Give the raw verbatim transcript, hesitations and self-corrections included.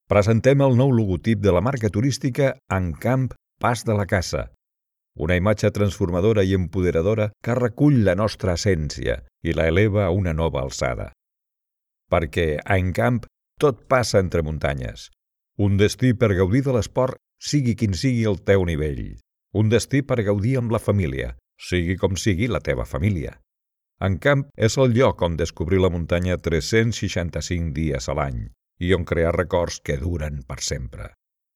Presentem el nou logotip de la marca turística Encamp Pas de la Casa, una imatge transformadora i empoderadora que recull la nostra essència i la eleva a una nova alçada. Perquè a Encamp tot passa entre muntanyes. Un destí per gaudir de l'esport, sigui quin sigui el teu nivell. Un destí per gaudir amb la família, sigui com sigui la teva família. Encamp és el lloc on descobrir la muntanya tres-cents seixanta-cinc dies a l'any i on crear records que duren per sempre.